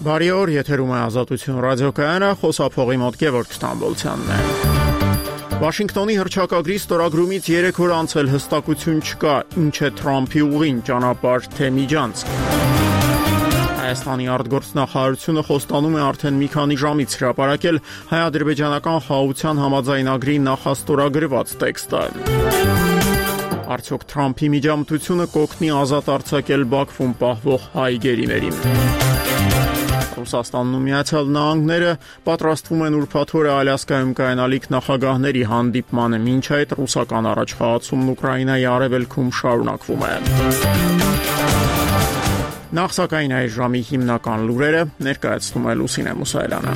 Բարի օր, եթերում է Ազատություն ռադիոկայանը, խոսափողի մոտ Գևորգ Ստամբոլցյանն է։ Վաշինգտոնի հռչակագրի ստորագրումից 3 օր անց էլ հստակություն չկա, ինչ է Թրամփի ուղին, ճանապարհ թե միջանցք։ Հայաստանի արտգործնախարարությունը խոստանում է արդեն մի քանի ժամից հրապարակել հայ-ադրբեջանական խաղաղության համաձայնագրի նախաստորագրված տեքստը։ Արդյոք Թրամփի միջամտությունը կօգնի ազատ արձակել Բաքվում պահվող հայ գերիներին։ Ռուսաստանն ու Միացյալ Նահանգները պատրաստվում են ուրբաթ օրը Ալյասկայում կայանալիք նախագահների հանդիպմանը, մինչ այդ ռուսական առաջխաղացումն Ուկրաինայի արևելքում շարունակվում է։ Նախ սակայն այս ժամի հիմնական լուրերը ներկայացնում է Լուսինե Մուսայելյանը։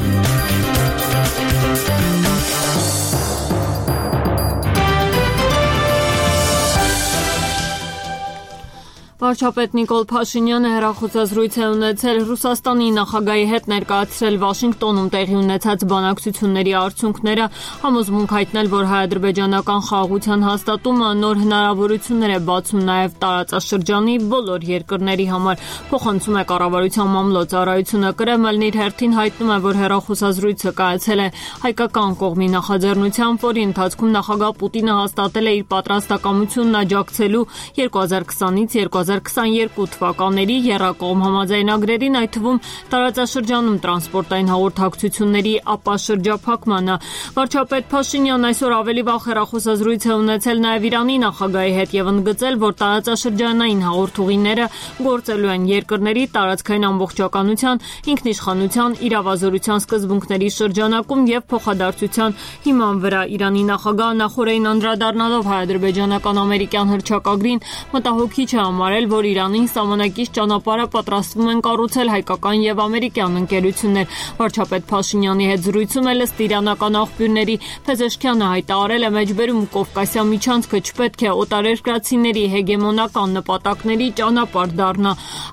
Վարչապետ Նիկոլ Փաշինյանը հեռախոսազրույց է ունեցել Ռուսաստանի նախագահի հետ ներկայացրել Վաշինգտոնում տեղի ունեցած բանակցությունների արդյունքները, համոզմունք հայտնել, որ հայ-ադրբեջանական խաղաղության հաստատումը նոր հնարավորություններ է բացում նաև տարածաշրջանի բոլոր երկրների համար, փոխանցում է կառավարության մամլոյցարայությունը։ Կրեմլն իր հերթին հայտնում է, որ հեռախոսազրույցը կայացել է հայկական կողմի նախաձեռնությամբ, որի ընթացքում նախագահ Պուտինը հաստատել է իր պատրաստակամությունն աջակցելու 2020-ից 2022 թվականների եռակողմ համաձայնագրերին, այդ թվում տարածաշրջանում տրանսպորտային հաղորդակցությունների ապաշրջափակմանը։ Վարչապետ Փաշինյանն այսօր ավելի վաղ հեռախոսազրույց է ունեցել նաև Իրանի նախագահի հետ եւ ընդգծել, որ տարածաշրջանային հաղորդուղիները գործելու են երկրների տարածքային ամբողջականության, ինքնիշխանության, իրավազորության սկզբունքների շրջանակում եւ փոխադարձության հիման վրա։ Իրանի նախագահը նախորդին անդրադառնալով հայ-ադրբեջանական ամերիկյան հռչակագրին մտահոգիչ է համարել, որ Իրանին սահմանակից ճանապարհը պատրաստվում են կառուցել հայկական եւ ամերիկյան ընկերություններ։ Վարչապետ Փաշինյանի հետ զրույցում ըստ իրանական աղբյուրների Փեզեշքյանը հայտարարել է մեջբերում Կովկասյան միջանցքը չպետք է օտարերկրացիների հեգեմոնական նպատակների ճանապարհ դառնա։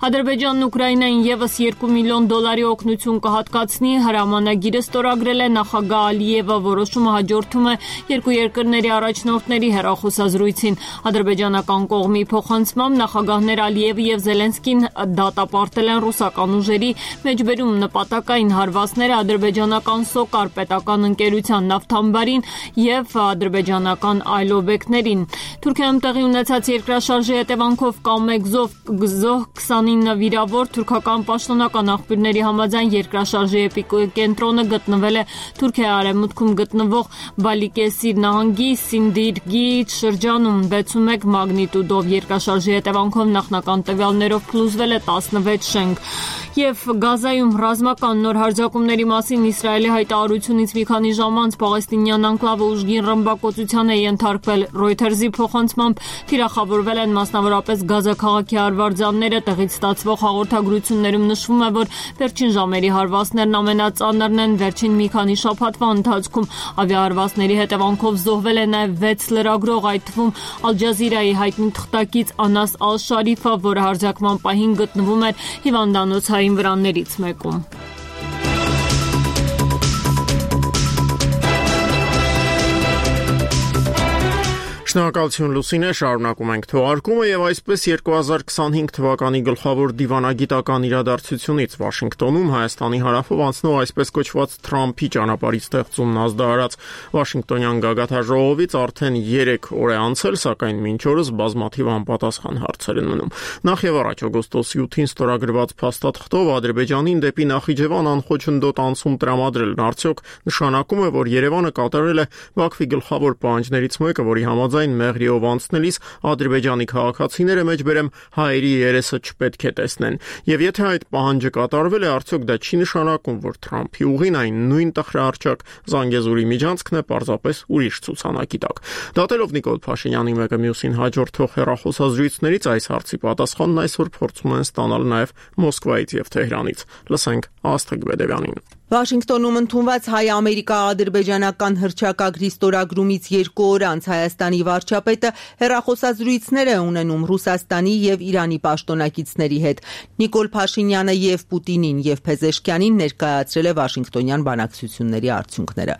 Ադրբեջանն Ուկրաինային եւս $2 միլիոն օգնություն կհատկացնի, հրամանագիրը ստորագրել է նախագահ Ալիևը, որոշումը հաջորդում է երկու երկրների առաջնորդների հեռախոսազրույցին։ Ադրբեջանական կողմի փոխանցմամբ նախագահներ Ալիևը եւ Զելենսկին դատապարտել են ռուսական ուժերի մեջբերում նպատակային հարվածները ադրբեջանական Սոկար պետական ընկերության նավթամբարին եւ ադրբեջանական այլ օբյեկտներին։ Թուրքիայում տեղի ունեցած երկրաշարժի հետևանքով կամեկ զոհ 29 վիրավոր, թուրքական պաշտոնական աղբյուրների համաձայն երկրաշարժի էպիկենտրոնը գտնվել է Թուրքիայի արևմուտքում գտնվող Բալիկեսիր նահանգի Սինդիրգի շրջանում 6.1 մագնիտուդով։ Երկրաշարժի հետևանքով նախնական տվյալներով փլուզվել է 16 շենք։ Եվ Գազայում ռազմական նոր հարձակումների մասին Իսրայելի հայտարարությունից մի քանի ժամ անց պաղեստինյան անկլավը ուժգին ռմբակոծության է ենթարկվել։ Reuters-ի փոխանցմամբ թիրախավորվել են մասնավորապես Գազա քաղաքի արվարձանները։ Տեղից ստացվող հաղորդագրություններում նշվում է, որ վերջին ժամերի հարվածներն ամենածանրն են վերջին մի քանի շաբաթվա ընթացքում։ Ավիահարվածների հետևանքով զոհվել է նաև 6 լրագրող, այդ թվում Ալ Ջազիրայի հայտնի թղթակից Անաս Ալ-Շարիֆը, որը հարձակման պահին գտնվում էր հիվանդանոցային վրաններից մեկում։ Շնորհակալություն Լուսինե, շարունակում ենք թողարկումը եւ այսպես 2025 թվականի գլխավոր դիվանագիտական իրադարձությունից Վաշինգտոնում Հայաստանի հարավով անցնող այսպես կոչված Թրամփի ճանապարհի ստեղծումն ազդարարած Վաշինգտոնյան գագաթաժողովից արդեն 3 օր է անցել, սակայն մինչ օրս բազմաթիվ անպատասխան հարցեր են մնում։ Նախ եւ առաջ օգոստոսի 8-ին ստորագրված փաստաթղթով Ադրբեջանին դեպի Նախիջևան անխոչնդոտ անցում տրամադրելն արդյոք նշանակում է, որ Երևանը կատարել է Բաքվի գլխավոր պահանջներից մեկը, որի համաձայն Մեղրիով անցնելիս ադրբեջանի քաղաքացիները մեջբերեմ հայերի երեսը չպետք է տեսնեն։ Եվ եթե այդ պահանջը կատարվել է, արդյոք դա չի նշանակում, որ Թրամփի ուղին այն նույն տխրահարճակ Զանգեզուրի միջանցքն է, պարզապես ուրիշ ցուցանակի տակ։ Դատելով Նիկոլ Փաշինյանի մեկը մյուսին հաջորդող հեռախոսազրույցներից այս հարցի պատասխանն այսօր փորձում են ստանալ նաև Մոսկվայից եւ Թեհրանից։ Լսենք Աստղիկ Բեդևյանին։ Վաշինգտոնում ընդունված հայ-ամերիկա-ադրբեջանական հռչակագրի ստորագրումից 2 օր անց Հայաստանի վարչապետը հեռախոսազրույցներ է ունենում Ռուսաստանի եւ Իրանի պաշտոնակիցների հետ։ Նիկոլ Փաշինյանը եւ Պուտինին եւ Փեզեշքյանին ներկայացրել է Վաշինգտոնյան բանակցությունների արդյունքները։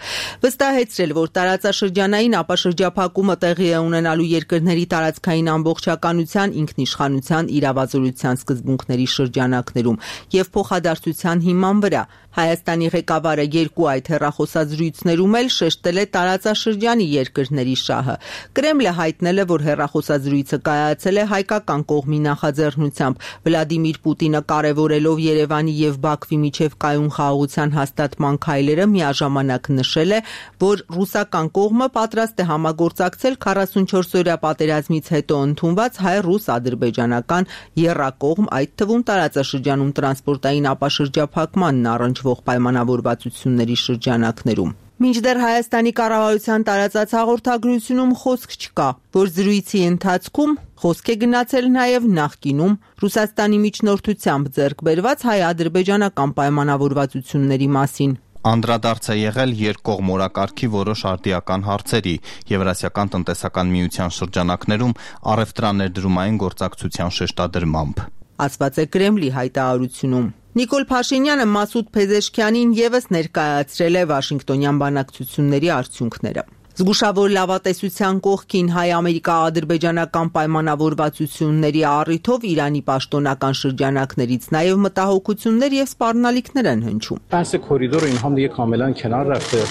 Վստահեցրել, որ տարածաշրջանային ապաշրջափակումը տեղի է ունենալու երկրների տարածքային ամբողջականության, ինքնիշխանության, իրավազորության սկզբունքների շրջանակներում եւ փոխադարձության հիման վրա։ Հայաստանի ղեկավարը 2 այդ հեռախոսազրույցներում էլ շեշտել է տարածաշրջանի երկրների շահը։ Կրեմլը հայտնել է, որ հեռախոսազրույցը կայացել է հայկական կողմի նախաձեռնությամբ։ Վլադիմիր Պուտինը կարևորելով Երևանի եւ Բաքվի միջև կայուն խաղաղության հաստատման քայլերը միաժամանակ նշել է, որ ռուսական կողմը պատրաստ է համագործակցել 44-օրյա պատերազմից հետո ընդունված հայ-ռուս-ադրբեջանական եռակողմ, այդ թվում տարածաշրջանում տրանսպորտային ապաշրջափակմանն առնչվող պայմանավորվածությունների շրջանակներում։ Մինչդեռ Հայաստանի կառավարության տարածած հաղորդագրությունում խոսք չկա, որ զրույցի ընթացքում խոսք է գնացել նաև նախկինում Ռուսաստանի միջնորդությամբ ձեռք բերված հայ-ադրբեջանական պայմանավորվածությունների մասին։ Անդրադարձ է եղել երկկողմ օրակարգի որոշ արդիական հարցերի, Եվրասիական տնտեսական միության շրջանակներում առևտրաներդրումային գործակցության շեշտադրմամբ, ասված է Կրեմլի հայտարարությունում։ Նիկոլ Փաշինյանը Մասուդ Փեզեշքյանին եւս ներկայացրել է Վաշինգտոնյան բանակցությունների արդյունքները։ Զգուշավոր լավատեսության կողքին հայ-ամերիկա-ադրբեջանական պայմանավորվածությունների առիթով Իրանի պաշտոնական շրջանակներից նաև մտահոգություններ եւ սպառնալիքներ են հնչում։ بحث کوریدور اینها هم دیگه کاملا کنار رفته.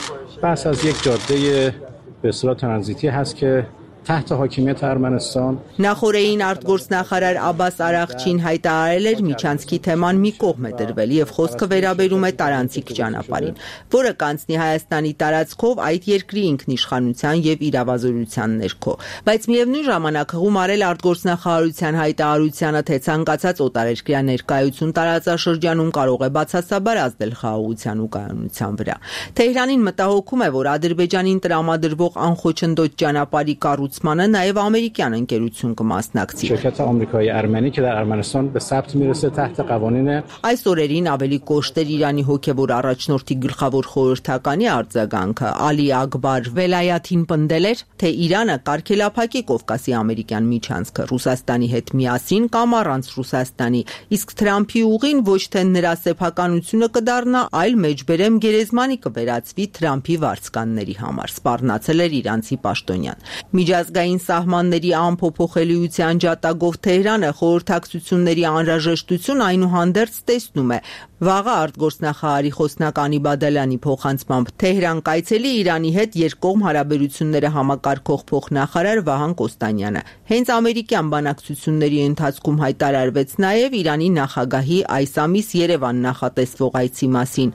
بحث از یک جاده به اصطلاح ترانزیتی هست که تحت حاکمیت ارمنستان Նախորդին արտգործնախարար Աբաս Արաղչին հայտարարել էր միջանցքի թեման մի կողմ է դրվել եւ խոսքը վերաբերում է տարանցիկ ճանապարհին, որը կանցնի Հայաստանի տարածքով այդ երկրի ինքնիշխանության եւ իրավազորության ներքո, բայց միևնույն ժամանակ հղում արել արտգործնախարարության հայտարարությանը, թե ցանկացած օտարերկրյա ներկայություն տարածաշրջանում կարող է բացասաբար ազդել խաղաղության ու կայունության վրա։ Թեհրանին մտահոգում է, որ Ադրբեջանին տրամադրվող անխոչնդոտ ճանապարհի կառուցմանը նաև ամերիկյան ընկերություն կմասնակցի։ شرکت آمریکایی ارمنی که در ارمنستان به ثبت میرسه تحت قوانین Այս օրերին ավելի կոշտ էր Իրանի հոգևոր առաջնորդի գլխավոր խորհրդականի արձագանքը։ Ալի Ակբար Վելայաթին պնդել էր, թե Իրանը կարգելափակի Կովկասի ամերիկյան միջանցքը Ռուսաստանի հետ միասին կամ առանց Ռուսաստանի, իսկ Թրամփի ուղին ոչ թե նրա սեփականությունը կդառնա, այլ մեջբերեմ գերեզմանի կվերածվի Թրամփի վարձկանների համար, սպառնացել էր իրանցի պաշտոնյան։ Միջազգային սահմանների անփոփոխելիության ջատագով Թեհրանը խորհրդակցությունների անհրաժեշտություն այնուհանդերձ տեսնում է։ Վաղը արտգործնախարարի խոսնակ Անի Բադալյանի փոխանցմամբ Թեհրան կայցելի Իրանի հետ երկկողմ հարաբերությունները համակարգող փոխնախարար Վահան Կոստանյանը։ Հենց ամերիկյան բանակցությունների ընթացքում հայտարարվեց նաև Իրանի նախագահի այս ամիս Երևան նախատեսվող այցի մասին։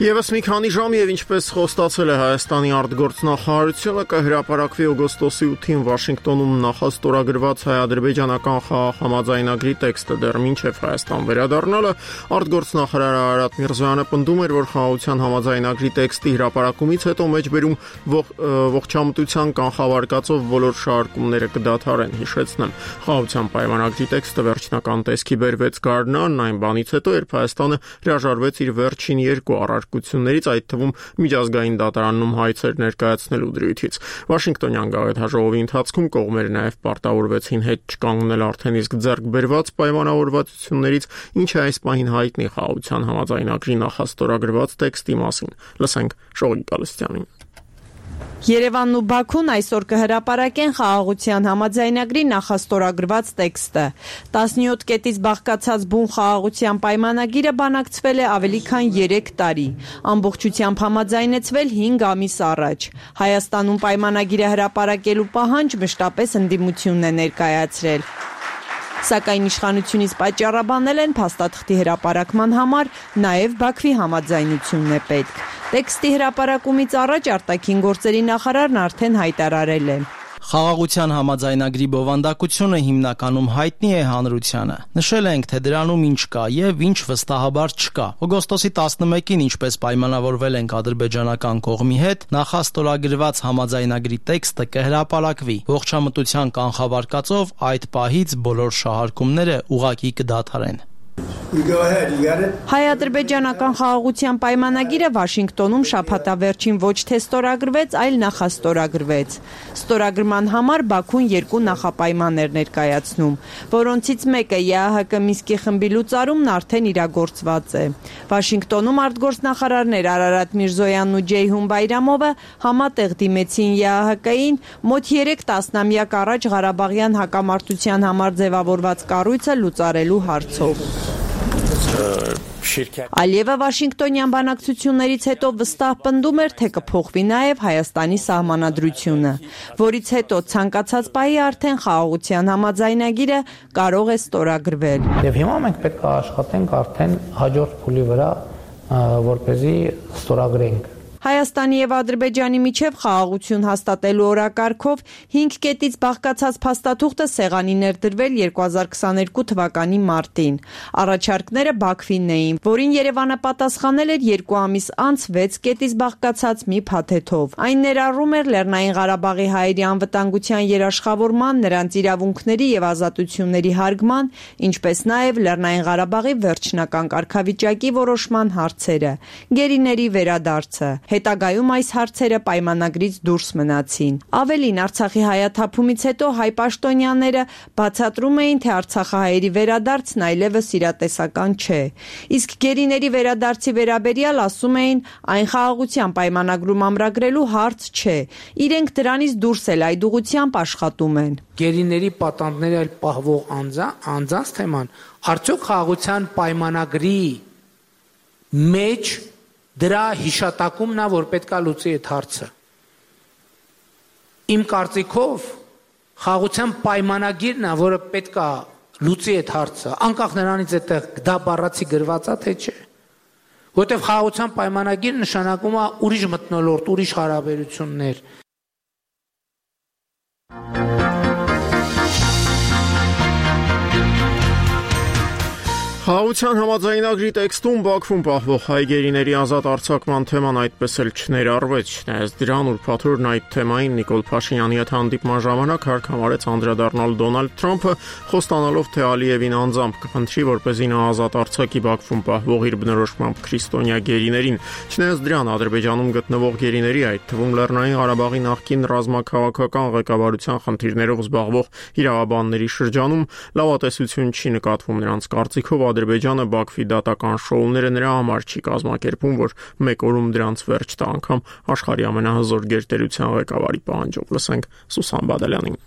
Եվս մի քանի ժամ եւ ինչպես խոստացել է Հայաստանի արտգործնախարարությունը, կհրապարակվի օգոստոսի 8-ին Վաշինգտոնում նախաստորագրված հայ-ադրբեջանական խաղաղ համաձայնագրի տեքստը։ Դեռ մինչև Հայաստան վերադառնալը արտգործնախարար Արարատ Միրզոյանը պնդում էր, որ խաղաղության համաձայնագրի տեքստի հրապարակումից հետո մեջբերում ողջամտության կանխավարկածով բոլոր շարժումները կդադարեն, հիշեցնեմ։ Խաղաղության պայմանագրի տեքստը վերջնական տեսքի բերվեց գարնան, այն բանից հետո, երբ Հայաստանը հրաժարվեց իր վերջին 2 առարկություններից, այդ թվում միջազգային դատարանում հայցեր ներկայացնելու դրույթից։ Վաշինգտոնյան գաղութաժողովի ընթացքում կողմերը նաև պարտավորվեցին հետ չկանգնել արդեն իսկ ձեռք բերված պայմանավորվածություններից, ինչը այս պահին հայտնի խաղաղության համաձայնագրի նախաստորագրված տեքստի մասին։ Լսենք Շողիկ Գալստյանին։ Երևանն ու Բաքուն այսօր կհրապարակեն խաղաղության համաձայնագրի նախաստորագրված տեքստը։ 17 կետից բաղկացած բուն խաղաղության պայմանագիրը բանակցվել է ավելի քան 3 տարի, ամբողջությամբ համաձայնեցվել 5 ամիս առաջ։ Հայաստանում պայմանագիրը հրապարակելու պահանջ մշտապես ընդդիմությունն է ներկայացրել։ Սակայն իշխանությունից պատճառաբանել են փաստաթղթի հրապարակման համար նաև Բաքվի համաձայնությունն է պետք։ Տեքստի հրապարակումից առաջ արտաքին գործերի նախարարն արդեն հայտարարել է. Խաղաղության համաձայնագրի բովանդակությունը հիմնականում հայտնի է հանրությանը։ Նշել ենք, թե դրանում ինչ կա եւ ինչ վստահաբար չկա։ Օգոստոսի 11-ին, ինչպես պայմանավորվել ենք ադրբեջանական կողմի հետ, նախաստորագրված համաձայնագրի տեքստը կհրապարակվի։ Ողջամտության կանխավարկածով այդ պահից բոլոր շահարկումները ուղղակի կդադարեն։ Հայ-ադրբեջանական խաղաղության պայմանագիրը Վաշինգտոնում շաբաթավերջին ոչ թե ստորագրվեց, այլ նախաստորագրվեց։ Ստորագրման համար Բաքուն երկու նախապայման էր ներկայացնում, որոնցից մեկը ԵԱՀԿ Մինսկի խմբի լուծարումն արդեն իրագործված է։ Վաշինգտոնում արտգործնախարարներ Արարատ Միրզոյանն ու Ջեյհուն Բայրամովը համատեղ դիմեցին ԵԱՀԿ-ին մոտ 3 տասնամյակ առաջ Ղարաբաղյան հակամարտության համար ձևավորված կառույցը լուծարելու հարցով։ Ալիևը Վաշինգտոնյան բանակցություններից հետո վստահ պնդում էր, թե կփոխվի նաև Հայաստանի սահմանադրությունը, որից հետո ցանկացած պահի արդեն խաղաղության համաձայնագիրը կարող է ստորագրվել։ Եվ հիմա մենք պետք է աշխատենք արդեն հաջորդ փուլի վրա, որպեսզի ստորագրենք։ Հայաստանի եւ Ադրբեջանի միջև խաղաղություն հաստատելու օրակարգով 5 կետից բաղկացած փաստաթուղթը սեղանի ներդրվել 2022 թվականի մարտին։ Առաջարկները Բաքվին էին, որին Երևանը պատասխանել էր 2 ամիս անց 6 կետից բաղկացած մի փաթեթով։ Այն ներառում էր Լեռնային Ղարաբաղի հայերի անվտանգության երաշխավորման, նրանց իրավունքների եւ ազատությունների հարգման, ինչպես նաեւ Լեռնային Ղարաբաղի վերջնական կարգավիճակի որոշման հարցերը, գերիների վերադարձը։ Հետագայում այս հարցերը պայմանագրից դուրս մնացին։ Ավելին, Արցախի հայաթափումից հետո հայ պաշտոնյաները բացատրում էին, թե արցախահայերի վերադարձն այլևս իրատեսական չէ։ Իսկ գերիների վերադարձի վերաբերյալ ասում էին, այն խաղաղության պայմանագրում ամրագրելու հարց չէ։ Իրենք դրանից դուրս էլ այդ ուղղությամբ աշխատում են։ Գերիների պատանդների այլ պահվող անձանց թեման արդյոք խաղաղության պայմանագրի մեջ դրա հիշատակումն է, որ պետք է լուծի այդ հարցը։ Իմ կարծիքով խաղաղության պայմանագիրն է, որը պետք է լուծի այդ հարցը, անկախ նրանից այդտեղ դա բառացի գրված է, թե չէ։ Որտեղ խաղաղության պայմանագիր նշանակում է ուրիշ մթնոլորտ, ուրիշ հարաբերություններ։ Խաղաղության համաձայնագրի տեքստում Բաքվում պահվող հայ գերիների ազատ արձակման թեման այդպես էլ չներառվեց, չնայած դրան ուրբաթօրն այդ թեմային Նիկոլ Փաշինյանի հետ հանդիպման ժամանակ հարկամարեց անդրադառնալ Դոնալդ Թրամփը, խոստանալով, թե Ալիևին անձամբ կխնդրի, որպեսզի նա ազատ արձակի Բաքվում պահվող իր բնորոշմամբ քրիստոնյա գերիներին։ Չնայած դրան Ադրբեջանում գտնվող գերիների, այդ թվում Լեռնային Ղարաբաղի նախկին ռազմաքաղաքական ղեկավարության խնդիրներով զբաղվող իրավաբանների շրջանում լավատեսություն չի նկատվում նրանց կարծիքով Ադրբեջանը Բաքվի դատական շոուները նրա համար չի կազմակերպում, որ մեկ օրում դրանց վերջ տա անգամ աշխարհի ամենահզոր գերտերության ղեկավարի պահանջով։ Լսենք Սուսան Բադալյանին։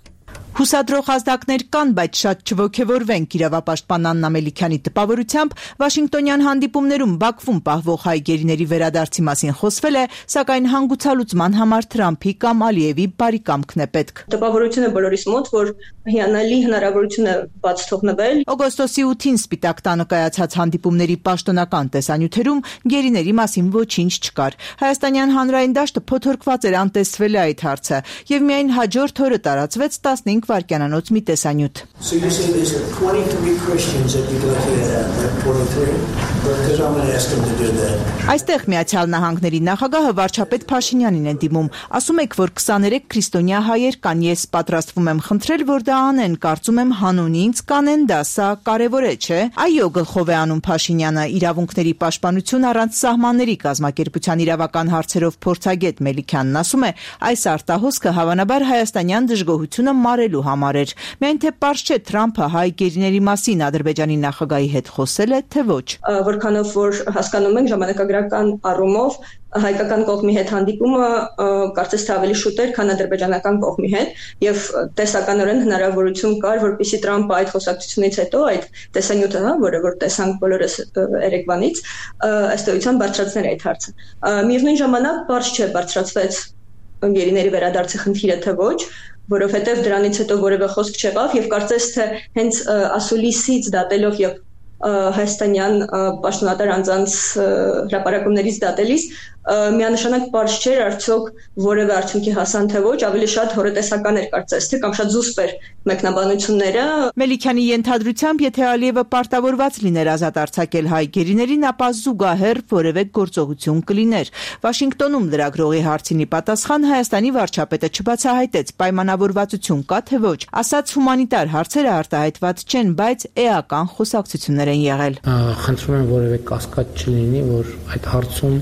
Հուսադրող ազդակներ կան, բայց շատ չոգևորվենք իրավապաշտպան Աննա Մելիքյանի տպավորությամբ Վաշինգտոնյան հանդիպումներում Բաքվում պահվող հայ գերիների վերադարձի մասին խոսվել է, սակայն հանգուցալուծման համար Թրամփի կամ Ալիևի բարի կամքն է պետք։ Տպավորությունը բոլորիս մոտ, որ հիանալի հնարավորություն է բաց թողնվել։ Օգոստոսի 8-ին Սպիտակ տանը կայացած հանդիպումների պաշտոնական տեսանյութերում գերիների մասին ոչինչ չկար։ Հայաստանյան հանրային դաշտը փոթորկված էր անտեսվել է այդ հարցը, եւ միայն հաջորդ օրը տարածվեց 15 վայրկյանանոց մի տեսանյութ։ Այստեղ Միացյալ Նահանգների նախագահը վարչապետ Փաշինյանին է դիմում։ Ասում եք, որ 23 քրիստոնյա հայեր կան, ես պատրաստվում եմ խնդրել, որ դա անեն, կարծում եմ հանուն ինձ կանեն դա, սա կարևոր է, չէ։ Այո, գլխով է անում Փաշինյանը, իրավունքների պաշտպանություն առանց սահմանների կազմակերպության իրավական հարցերով փորձագետ Մելիքյանն ասում է, այս արտահոսքը հավանաբար հայաստանյան դժգոհությունը մարելու համար էր։ Միայն թե պարզ չէ Թրամփը հայ գերիների մասին Ադրբեջանի նախագահի հետ խոսել է, թե ոչ։ Որքանով որ հասկանում ենք ժամանակագրական առումով հայկական կողմի հետ հանդիպումը կարծես թե ավելի շուտ էր, քան ադրբեջանական կողմի հետ, եւ տեսականորեն հնարավորություն կար, որպեսզի Թրամփը այդ խոսակցությունից հետո այդ տեսանյութը, որը որ տեսանք բոլորս երեկվանից, ըստ էության բարձրացներ այդ հարցը։ Միևնույն ժամանակ բարձ չէ բարձրացվեց գերիների վերադարձի խնդիրը, թե ոչ, որովհետեւ դրանից հետո որևէ խոսք չեղավ եւ կարծես թե հենց ասուլիսից դատելով եւ հայաստանյան պաշտոնատար անձանց հրապարակումներից դատելիս միանշանակ պարզ չէր արդյոք որևէ արդյունքի հասան թե ոչ, ավելի շատ հորետեսական էր կարծես թե կամ շատ զուսպ էր մեկնաբանությունները։ Մելիքյանի ենթադրությամբ, եթե Ալիևը պարտավորված լիներ ազատ արձակել հայ գերիներին, ապա զուգահեռ որևէ գործողություն կլիներ։ Վաշինգտոնում լրագրողի հարցինի պատասխան Հայաստանի վարչապետը չբացահայտեց պայմանավորվածություն կա թե ոչ, ասաց հումանիտար հարցերը արտահայտված չեն, բայց էական խոսակցություններ պայմաններ են եղել։ Խնդրում եմ որևէ կասկած չլինի, որ այդ հարցում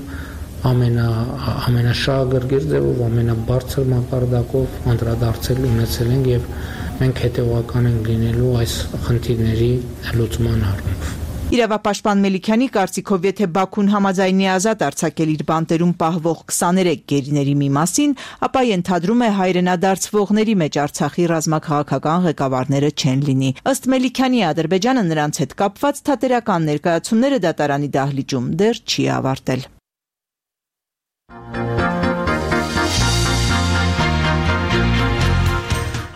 ամենաշահագրգիռ ձևով, ամենաբարձր մակարդակով անդրադարձել ունեցել ենք եւ մենք հետեւական ենք լինելու այս խնդիրների լուծման առումով։ Իրավապաշտպան Մելիքյանի կարծիքով, եթե Բաքուն համաձայնի ազատ արձակել իր բանտերում պահվող 23 գերիների մի մասին, ապա ենթադրում է հայրենադարձվողների մեջ Արցախի ռազմաքաղաքական ղեկավարները չեն լինի։ Ըստ Մելիքյանի, Ադրբեջանը նրանց հետ կապված թատերական ներկայացումները դատարանի դահլիճում դեռ չի ավարտել։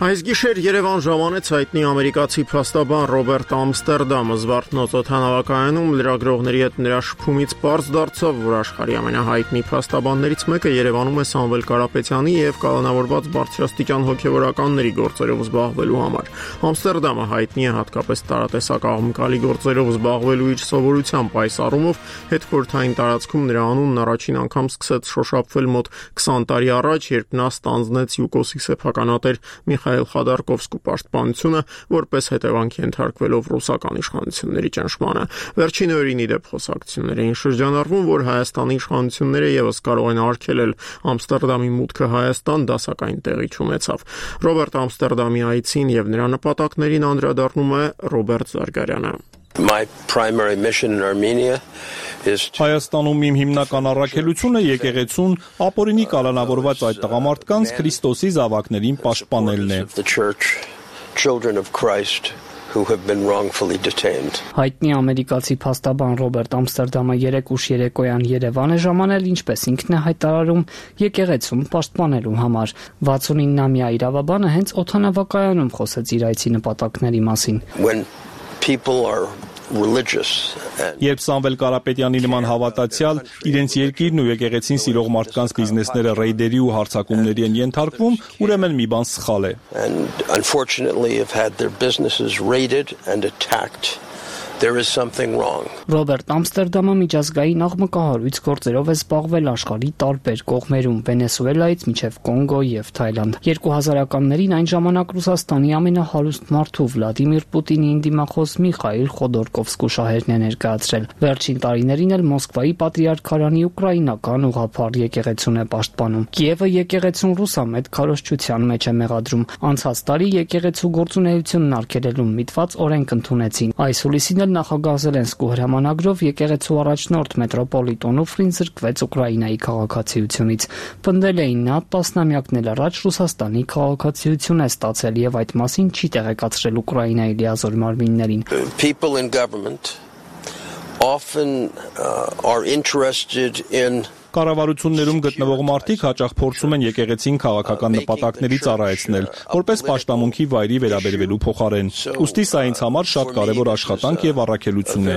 Այս գիշեր Երևան ժամանեց հայտնի ամերիկացի փաստաբան Ռոբերտ Ամստերդամը Զվարթնոց օդանավակայանում լրագրողների հետ նրա շփումից պարզ դարձավ, որ աշխարհի ամենահայտնի փաստաբաններից մեկը Երևանում է Սամվել Կարապետյանի եւ կալանավորված բարձրաստիճան հոգեվորականների գործերով զբաղվելու համար։ Ամստերդամը հայտնի է հատկապես տարատեսակ աղմկալի գործերով զբաղվելու իր սովորությամբ, այս առումով հետխորհրդային տարածքում նրա անունն առաջին անգամ սկսեց շոշափվել մոտ 20 տարի առաջ, երբ նա ստանձնեց ՅՈՒԿՕՍ-ի սեփականատեր Միխայել Խադարկովսկու պաշտպանությունը, որպես հետևանք ենթարկվելով ռուսական իշխանությունների ճնշմանը։ Վերջին օրերին ի դեպ խոսակցություններ էին շրջանառվում, որ Հայաստանի իշխանությունները եւս կարող են արգելել Ամստերդամի մուտքը Հայաստան, դասակային տեղի չունեցավ։ Ռոբերտ Ամստերդամի այցին եւ նրա նպատակներին անդրադառնում է Ռոբերտ Զարգարյանը։ My primary mission in Armenia is Հայաստանում իմ հիմնական առաքելությունը եկեղեցուն ապօրինի կալանավորված այդ տղամարդկանց Քրիստոսի զավակներին պաշտպանելն է։ the church, children of Christ who have been wrongfully detained. Հայտնի ամերիկացի փաստաբան Ռոբերտ Ամստերդամը 3 ուշ երեկոյան Երևան է ժամանել, ինչպես ինքն է հայտարարում, եկեղեցում պաշտպանելու համար։ 69-ամյա իրավաբանը հենց օդանավակայանում խոսեց իր այցի նպատակների մասին։ When people are religious and Երբ Սամվել Կարապետյանի նման հավատացյալ իրենց երկիրն ու եկեղեցին սիրող մարդկանց բիզնեսները ռեյդերի ու հարձակումների են ենթարկվում, ուրեմն մի բան սխալ է։ and unfortunately have had their businesses raided and attacked, there is something wrong. Ռոբերտ Ամստերդամը միջազգային աղմկահարույց գործերով է զբաղվել աշխարհի տարբեր կողմերում, Վենեսուելայից մինչև Կոնգո եւ Թայլանդ։ 2000-ականներին այն ժամանակ Ռուսաստանի ամենահարուստ մարդու Վլադիմիր Պուտինի դիմախոս Միխայել Խոդորկովսկու շահերն է ներկայացրել։ Վերջին տարիներին էլ Մոսկվայի պատրիարքարանի ուկրաինական ուղղափառ եկեղեցուն է պաշտպանում։ Կիևը եկեղեցուն ռուսամետ քարոզչության մեջ է մեղադրում։ Անցած տարի եկեղեցու գործունեությունն արգելելու միտված օրենք ընդունեցին։ Այս հուլիսին նախագահ Զելենսկու հրամանագրով եկեղեցու առաջնորդ մետրոպոլիտ Օնուֆրին զրկվեց Ուկրաինայի քաղաքացիությունից։ Պնդել էին նա տասնամյակներ առաջ Ռուսաստանի քաղաքացիություն է ստացել եւ այդ մասին չի տեղեկացրել Ուկրաինայի լիազոր մարմիններին։ People in government often are interested in Կառավարություններում գտնվող մարդիկ հաճախ փորձում են եկեղեցին քաղաքական նպատակների ծառայեցնել, որպես պաշտամունքի վայրի վերաբերվելու փոխարեն։ Ուստի սա ինձ համար շատ կարևոր աշխատանք եւ առաքելություն է։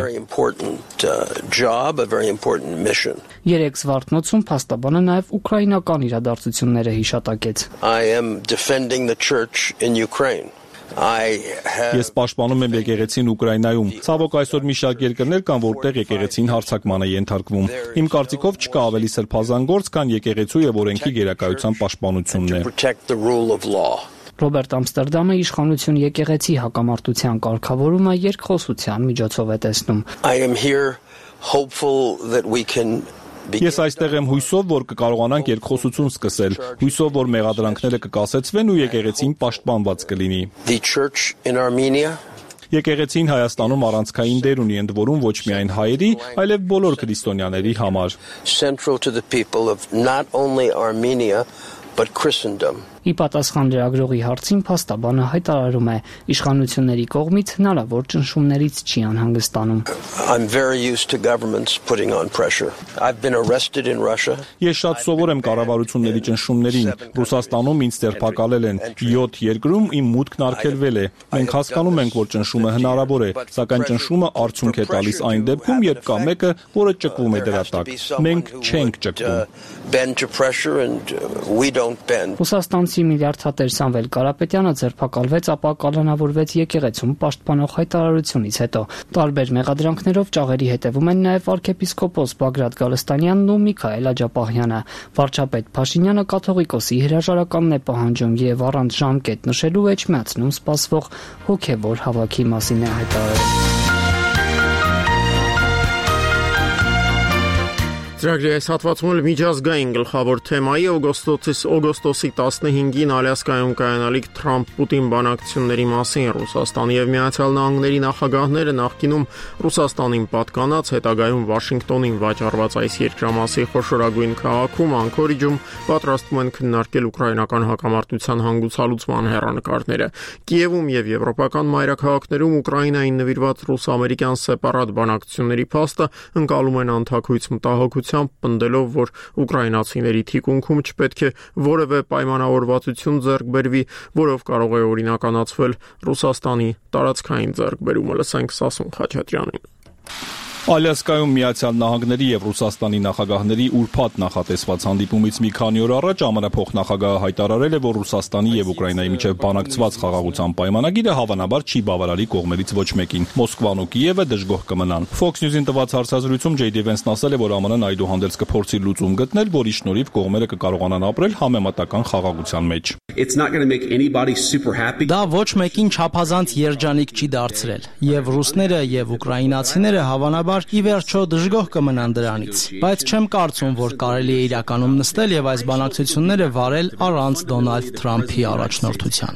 Երեք Զվարթնոցում փաստաբանը նաեւ ուկրաինական իրադարձությունները հիշատակեց։ I am defending the church in Ukraine. Ես պաշտպանում եմ եկեղեցին Ուկրաինայում։ Ցավոք այսօր մի շարք երկրներ կան, որտեղ եկեղեցին հարձակման է ենթարկվում։ Իմ կարծիքով չկա ավելի սրբազան գործ, քան եկեղեցու եւ օրենքի գերակայության պաշտպանությունն է։ Ռոբերտ Ամստերդամը իշխանություն եկեղեցի հակամարտության կարգավորումը երկխոսության միջոցով է տեսնում։ I am here hopeful that we can Ես այստեղ եմ հույսով, որ կկարողանանք երկխոսություն սկսել, հույսով, որ մեղադրանքները կկասեցվեն ու եկեղեցին պաշտպանված կլինի։ The church in Armenia Եկեղեցին Հայաստանում առանցքային դեր ունի ընդ որում ոչ միայն հայերի, այլև բոլոր քրիստոնյաների համար։ Central to the people of not only Armenia but Christendom. Ի պատասխան լրագրողի հարցին փաստաբանը հայտարարում է, իշխանությունների կողմից հնարավոր ճնշումներից չի անհանգստանում։ I'm very used to governments putting on pressure. I've been arrested in Russia. Ես շատ սովոր եմ կառավարությունների ճնշումներին։ Ռուսաստանում ինձ ձերբակալել են, 7 երկրում իմ մուտքն արգելվել է։ Մենք հասկանում ենք, որ ճնշումը հնարավոր է, սակայն ճնշումը արդյունք է տալիս այն դեպքում, երբ կա մեկը, որը ճկվում է դրա տակ։ Մենք չենք ճկվում։ Bend to pressure and we don't bend. Ռուսաստանցի միլիարդատեր Սամվել Կարապետյանը ձերբակալվեց, ապա կալանավորվեց եկեղեցում պաշտպանող հայտարարությունից հետո։ Տարբեր մեղադրանքներով ճաղերի հետևում են նաև arczepiskopos Բագրատ Գալստանյանն ու Միքայել Աջապահյանը։ Վարչապետ Փաշինյանը կաթողիկոսի հրաժարականն է պահանջում եւ առանց ժամկետ նշելու էջմիածնում սպասվող հոգեվոր հավաքի մասին է հայտարարել։ Ծրագրի այս հատվածում էլ միջազգային գլխավոր թեմայի օգոստոսի 15-ին Ալյասկայում կայանալիք Թրամփ-Պուտին բանակցությունների մասին Ռուսաստանի եւ Միացյալ Նահանգների նախագահները նախկինում Ռուսաստանին պատկանած, հետագայում Վաշինգտոնին վաճառված այս երկրամասի խոշորագույն քաղաքում Անկորիջում պատրաստվում են քննարկել ուկրաինական հակամարտության հանգուցալուծման հեռանկարները։ Կիևում եւ եվրոպական մայրաքաղաքներում Ուկրաինային նվիրված ռուս-ամերիկյան սեպարատ բանակցությունների փաստը ընկալում են անթաքույց մտահոգությամբ, պնդելով, որ ուկրաինացիների թիկունքում չպետք է որևէ պայմանավորվածություն ձեռք բերվի, որով կարող է օրինականացվել Ռուսաստանի տարածքային ձեռքբերումը։ Լսենք Սասուն Խաչատրյանին։ Ալյասկայում Միացյալ Նահանգների եւ Ռուսաստանի նախագահների ուրբաթ նախատեսված հանդիպումից մի քանի օր առաջ ԱՄՆ փոխնախագահը հայտարարել է, որ Ռուսաստանի եւ Ուկրաինայի միջեւ բանակցված խաղաղության պայմանագիրը հավանաբար չի բավարարի կողմերից ոչ մեկին։ Մոսկվան ու Կիևը դժգոհ կմնան։ Fox News-ին տված հարցազրույցում J.D. Vance-ն ասել է, որ ԱՄՆ-ն այդուհանդերձ կփորձի լուծում գտնել, որի շնորհիվ կողմերը կկարողանան ապրել համեմատական խաղաղության մեջ։ Դա ոչ մեկին չափազանց երջանիկ չի դարձրել, եւ ռուսները եւ ուկրաինացիները հավանաբար ի վերջո դժգոհ կմնան դրանից, բայց չեմ կարծում, որ կարելի է իրականում նստել եւ այս բանակցությունները վարել առանց Դոնալդ Թրամփի առաջնորդության։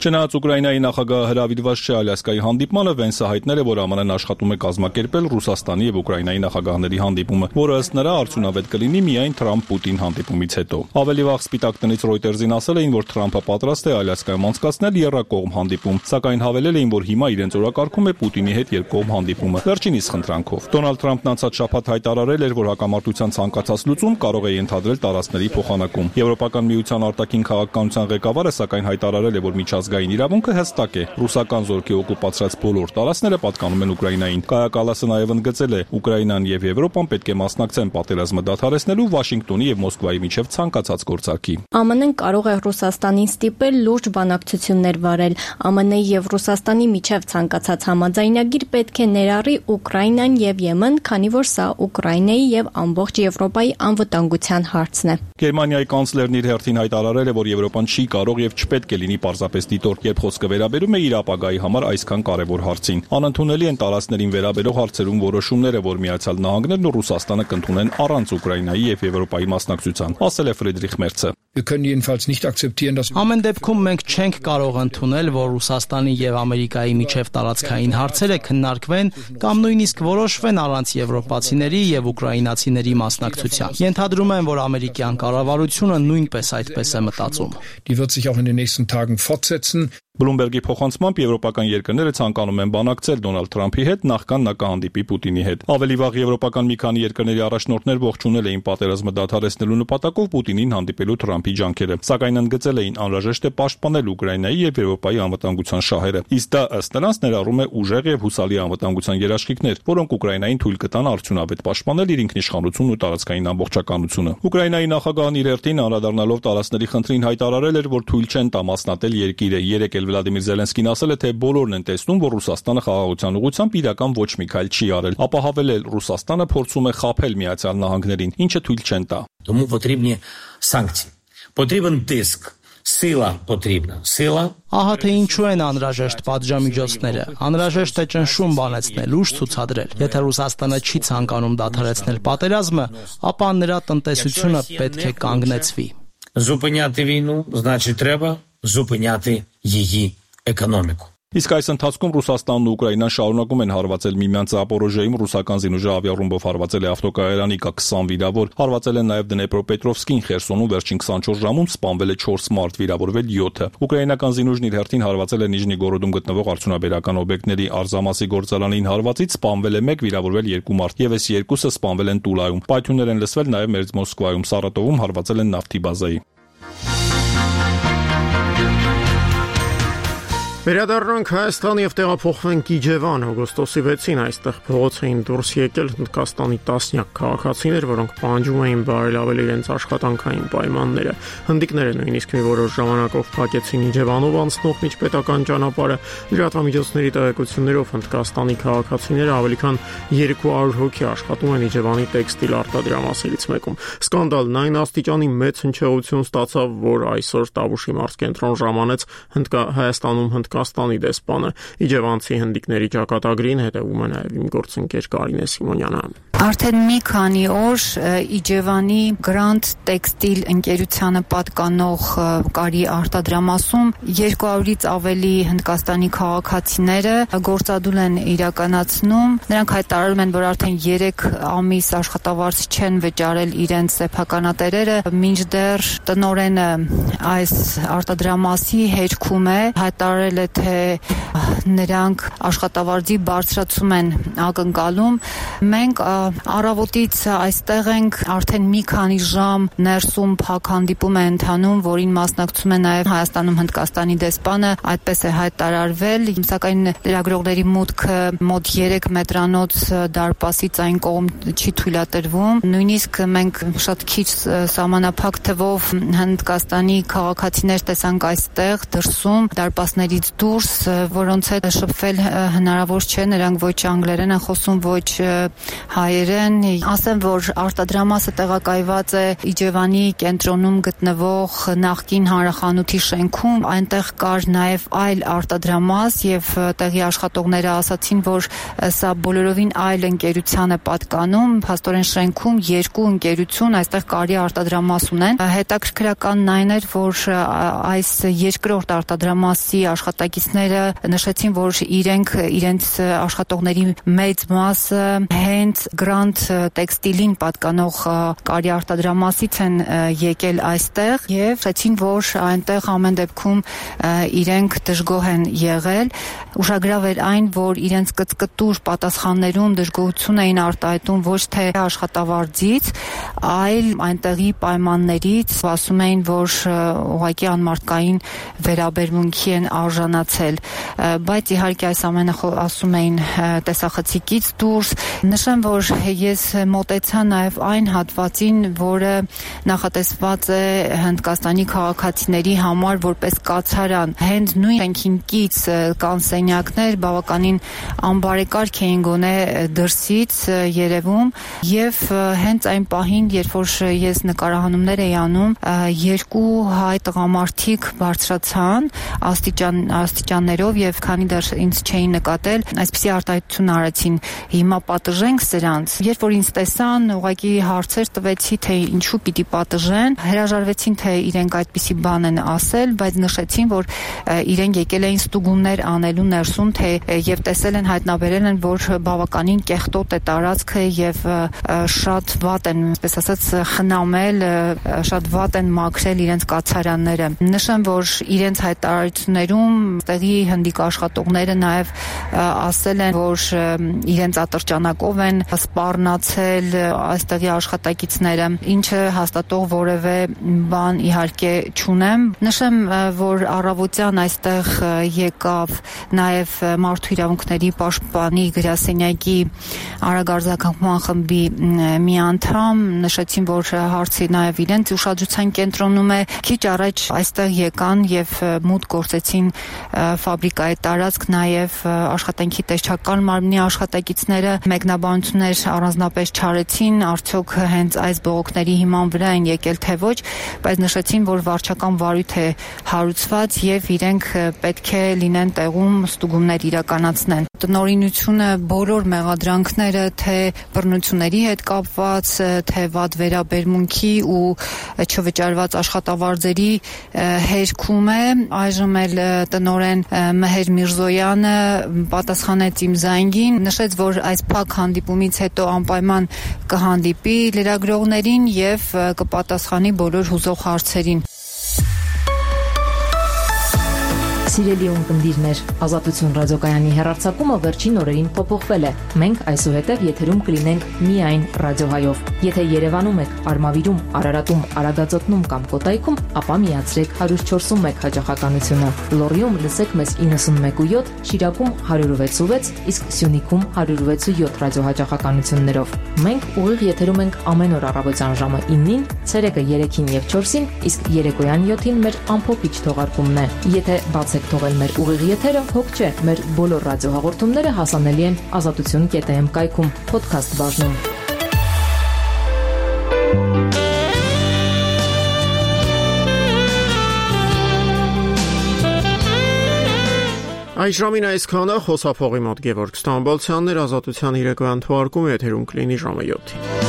Չնայած Ուկրաինայի նախագահը հրավիրված չէ Ալյասկայի հանդիպմանը, Վենսը հայտնել է, որ ԱՄՆ-ն աշխատում է կազմակերպել Ռուսաստանի եւ Ուկրաինայի նախագահների հանդիպումը, որը ըստ նրա արդյունավետ կլինի միայն Թրամփ-Պուտին հանդիպումից հետո։ Ավելի վաղ Սպիտակ տնից Reuters-ին ասել էին, որ Թրամփը պատրաստ է Ալյասկայում անցկացնել եռակողմ հանդիպում, սակայն հավելել էին, որ հիմա իրենց օրակարգում է Պուտինի հետ երկկողմ հանդիպումը, վերջինիս խնդրանքով։ Դոնալդ Թրամփն անցած շաբաթ հայտարարել էր, որ հակամարտության ցանկացած լուծում կարող է ենթադրել տարածքների փոխանակում։ Եվրոպական միության արտաքին քաղաքականության ղեկավարը սակայն հայտարարել է, որ միջազգային իրավունքը հստակ է։ Ռուսական զորքի օկուպացրած բոլոր տարածքները պատկանում են Ուկրաինային։ Կայա Կալասը նաև ընդգծել է, Ուկրաինան եւ Եվրոպան պետք է մասնակցեն պատերազմը դադարեցնելու Վաշինգտոնի եւ Մոսկվայի միջև ցանկացած գործարքի։ ԱՄՆ-ն կարող է Ռուսաստանին ստիպել լուրջ բանակցություններ վարել։ ԱՄՆ-ի եւ Ռուսաստանի միջև ցանկացած համաձայնագիր պետք է ներառի Ուկրաինան եւ Եմեն, քանի որ սա Ուկրաինայի եւ ամբողջ Եվրոպայի անվտանգության հարցն է։ Գերմանիայի կանցլերն իր հերթին հայտարարել է, որ Եվրոպան չի կարող եւ չպետք է լինի պարզապես դիտորդ, երբ խոսքը վերաբերում է իր ապագայի համար այսքան կարևոր հարցին։ Անընդունելի են տարածքներին վերաբերող հարցերում որոշումները, որ Միացյալ Նահանգներն ու Ռուսաստանը կընդունեն առանց Ուկրաինայի եւ Եվրոպայի մասնակցության, ասել է Ֆրիդրիխ Մերցը։ Ամեն դեպքում մենք չենք կարող ընդունել, որ Ռուսաստանի եւ Ամերիկայի միջև տարածքային հարցերը քննարկվեն կամ նույնիսկ որոշվեն առանց եվրոպացիների եւ ուկրաինացիների մասնակցության։ Ենթադրում եմ, որ ամերիկյան կառավարությունը նույնպես այդպես է մտածում։ Բլումբերգի փոխանցմամբ եվրոպական երկրները ցանկանում են բանակցել Դոնալդ Թրամփի հետ նախքան նա կհանդիպի Պուտինի հետ։ Ավելի վաղ եվրոպական մի քանի երկրների առաջնորդներ ողջունել էին պատերազմը դադարեցնելու նպատակով Պուտինին հանդիպելու Թրամփի ջանքերը, սակայն ընդգծել էին անհրաժեշտ է պաշտպանել Ուկրաինայի եւ Եվրոպայի անվտանգության շահերը։ Իսկ դա ըստ նրանց ներառում է ուժեղ եւ հուսալի անվտանգության երաշխիքներ, որոնք Ուկրաինային թույլ կտան արդյունավետ պաշտպանել իր ինքնիշխանությունն ու տարածքային ամբողջականությունը։ Ուկրաինայի նախագահն իր հերթին անդրադառնալով տարածքների խնդրին հայտարարել էր, որ թույլ չեն տա մասնատել երկիրը։ Վլադիմիր Զելենսկին ասել է, թե բոլորն են տեսնում, որ Ռուսաստանը խաղաղության ուղղությամբ իրական ոչ մի քայլ չի արել։ Ապա հավելել, Ռուսաստանը փորձում է խաբել Միացյալ Նահանգներին, ինչը թույլ չեն տա։ Тому потрібні санкції. Потрібен тиск. Սիլա потрібна. Սիլա։ Ահա թե ինչու են անհրաժեշտ պատժամիջոցները։ Անհրաժեշտ է ճնշում բանեցնել, ուժ ցուցադրել։ Եթե Ռուսաստանը չի ցանկանում դադարեցնել պատերազմը, ապա նրա տնտեսությունը պետք է կանգնեցվի։ Зупиняти війну, значить треба зупиняти її економіку. Իսկ այս ընթացքում Ռուսաստանն ու Ուկրաինան շարունակում են հարվածել միմյանց Զապորոժիայում ռուսական զինուժը ավիառումբով հարվածել է ավտոկայարանի կա 20 վիրավոր, հարվածել են նաև Դնեպրոպետրովսկին, Խերսոնում վերջին 24 ժամում սպանվել է 4 մարդ, վիրավորվել 7-ը։ Ուկրաինական զինուժն իր հերթին հարվածել է Նիժնիգորոդում գտնվող արդյունաբերական օբյեկտների Արզամասի գործարանին հարվածից սպանվել է 1, վիրավորվել 2 մարդ, եւս 2-ը սպանվել են Տուլայում։ Պայթյուններ են լսվել նաև Մերձ Մոսկվայում, Սարատովում հարվածել են նավթի բազայի։ Վերադառնանք Հայաստան եւ տեղափոխվենք Իջևան։ Օգոստոսի 6-ին այստեղ փողոց էին դուրս եկել Հնդկաստանի տասնյակ քաղաքացիներ, որոնք պահանջում էին բարելավել իրենց աշխատանքային պայմանները։ Հնդիկները նույնիսկ մի որոշ ժամանակով փակեցին Իջևանով անցնող միջպետական ճանապարհը։ Լրատվամիջոցների տեղեկություններով Հնդկաստանի քաղաքացիները ավելի քան 200 հոգի աշխատում են Իջևանի տեքստիլ արտադրամասերից մեկում։ Սկանդալն այն աստիճանի մեծ հնչեղություն ստացավ, որ այսօր Տավուշի մարզկենտրոն ժամանեց Հայաստանում Հնդկաստանի դեսպանը։ Իջևանցի հնդիկների ճակատագրին հետևում է նաև իմ գործընկեր Կարինե Սիմոնյանը։ Արդեն մի քանի օր Իջևանի Grand Textile ընկերությանը պատկանող կարի արտադրամասում 200-ից ավելի Հնդկաստանի քաղաքացիները գործադուլ են իրականացնում։ Նրանք հայտարարում են, որ արդեն 3 ամիս աշխատավարձ չեն վճարել իրենց սեփականատերերը, մինչդեռ տնօրենը այս արտադրամասի հերքում է, հայտարարել է, թե նրանք աշխատավարձի բարձրացում են ակնկալում։ Մենք առավոտից այստեղ ենք, արդեն մի քանի ժամ ներսում փակ հանդիպում է ընթանում, որին մասնակցում է նաև Հայաստանում Հնդկաստանի դեսպանը, այդպես է հայտարարվել, սակայն լրագրողների մուտքը մոտ 3 մետրանոց դարպասից այն կողմ չի թույլատրվում։ Նույնիսկ մենք շատ քիչ սահմանափակ թվով Հնդկաստանի քաղաքացիներ տեսանք այստեղ դրսում, դարպասներից դուրս, որոնց հետ շփվել հնարավոր չէ, նրանք ոչ անգլերեն են խոսում, ոչ հայերեն։ Ասեմ, որ արտադրամասը տեղակայված է Իջևանի կենտրոնում գտնվող նախկին հանրախանութի շենքում, այնտեղ կար նաև այլ արտադրամաս եւ տեղի աշխատողները ասացին, որ սա բոլորովին այլ ընկերության է պատկանում, փաստորեն շենքում 2 ընկերություն այստեղ կարի արտադրամաս ունեն։ Հետաքրքրականն այն էր, որ այս երկրորդ արտադրամասի աշխատակիցները նշեցին, որ իրենց աշխատողների մեծ մասը հենց Grand Textile-ին պատկանող կարի արտադրամասից են եկել այստեղ եւ ասացին, որ այնտեղ ամեն դեպքում իրենք դժգոհ են եղել։ Ուշագրավ էր այն, որ իրենց կծկտուր պատասխաններում դժգոհություն էին արտահայտում ոչ թե աշխատավարձից, այլ այնտեղի պայմաններից, ասում էին, որ ուղղակի անմարդկային վերաբերմունքի են արժանացել, բայց իհարկե այս ամենը ասում էին տեսախցիկից դուրս։ Նշեմ, որ ես մոտեցա նաև այն հատվածին, որը նախատեսված է Հնդկաստանի քաղաքացիների համար որպես կացարան։ Հենց նույն շենքին կից կան սենյակներ, բավականին անբարեկարգ էին գոնե դրսից երևում, եւ հենց այն պահին, երբ որ ես նկարահանումներ էի անում, 2 հայ տղամարդիկ բարձրացան աստիճաններով եւ քանի դեռ ինձ չէին նկատել, այսպիսի արտահայտություն արեցին. հիմա պատժենք սրանց։ Երբ որ ինձ տեսան, ուղղակի հարցեր տվեցի, թե ինչու պիտի պատժեն, հրաժարվեցին, թե իրենք այդպիսի բան են ասել, բայց նշեցին, որ իրենք եկել էին ստուգումներ անելու ներսում, թե եւ տեսել են, հայտնաբերել են, որ բավականին կեղտոտ է տարածքը եւ շատ վատ են, այսպես ասած, խնամել, շատ վատ են մաքրել իրենց կացարանները։ Նշեմ, որ իրենց հայտարարություններում տեղի հնդիկ աշխատողները նաեւ ասել են, որ իրենց ատրճանակով են սպառնացել այստեղի աշխատակիցները, ինչը հաստատող որևէ բան իհարկե չունեմ։ Նշեմ, որ առավոտյան այստեղ եկավ նաև մարդու իրավունքների պաշտպանի գրասենյակի արագարձակման խմբի մի անդամ, նշեցին, որ հարցի նաև իրենց ուշադրության կենտրոնում է։ Քիչ առաջ այստեղ եկան եւ մուտք գործեցին ֆաբրիկայի տարածք, նաև աշխատանքի տեսչական մարմնի աշխատակիցները մեկնաբանություններ առանձնապես չարեցին, արդյոք հենց այս բողոքների հիման վրա են եկել թե ոչ, բայց նշեցին, որ վարչական վարույթ է հարուցված եւ իրենք պետք է լինեն տեղում ստուգումներ իրականացնեն։ Տնօրինությունը բոլոր մեղադրանքները, թե բռնությունների հետ կապված, թե վատ վերաբերմունքի ու չվճարված աշխատավարձերի հերքում է։ Այժմ էլ տնօրեն Մեհեր Միրզոյանը պատասխանեց իմ զանգին, նշեց, որ այս փակ հանդիպումից հետո անպայման կհանդիպի լրագրողներին եւ կպատասխանի բոլոր հուզող հարցերին։ Սիրելի ունկնդիրներ, Ազատություն ռադիոկայանի հեռարձակումը վերջին օրերին փոփոխվել է։ Մենք այսուհետև եթերում կլինենք միայն ռադիոհայով։ Եթե Երևանում եք, Արմավիրում, Արարատում, Արագածոտնում կամ Կոտայքում, ապա միացրեք 104.1 հաճախականությունը։ Լոռիում լսեք մեզ 91.7, Շիրակում 106.6, իսկ Սյունիքում 106.7 ռադիոհաճախականություններով։ Մենք ուղիղ եթերում ենք ամեն օր առավոտյան ժամը 9-ին, ցերեկը 3-ին եւ 4-ին, իսկ երեկոյան 7-ին մեր ամփոփիչ թողարկումն է։ Եթե բացեք թողել մեր ուղիղ եթերը, հոգ չէ, մեր բոլոր ռադիոհաղորդումները հասանելի են azatutun.am կայքում, podcast բաժնում։ Այս ժամին այսքանը խոսափողի մոտ Գևորգ Ստամբոլցյանն էր, Ազատության իրական թողարկումը եթերում կլինի ժամը 7-ին։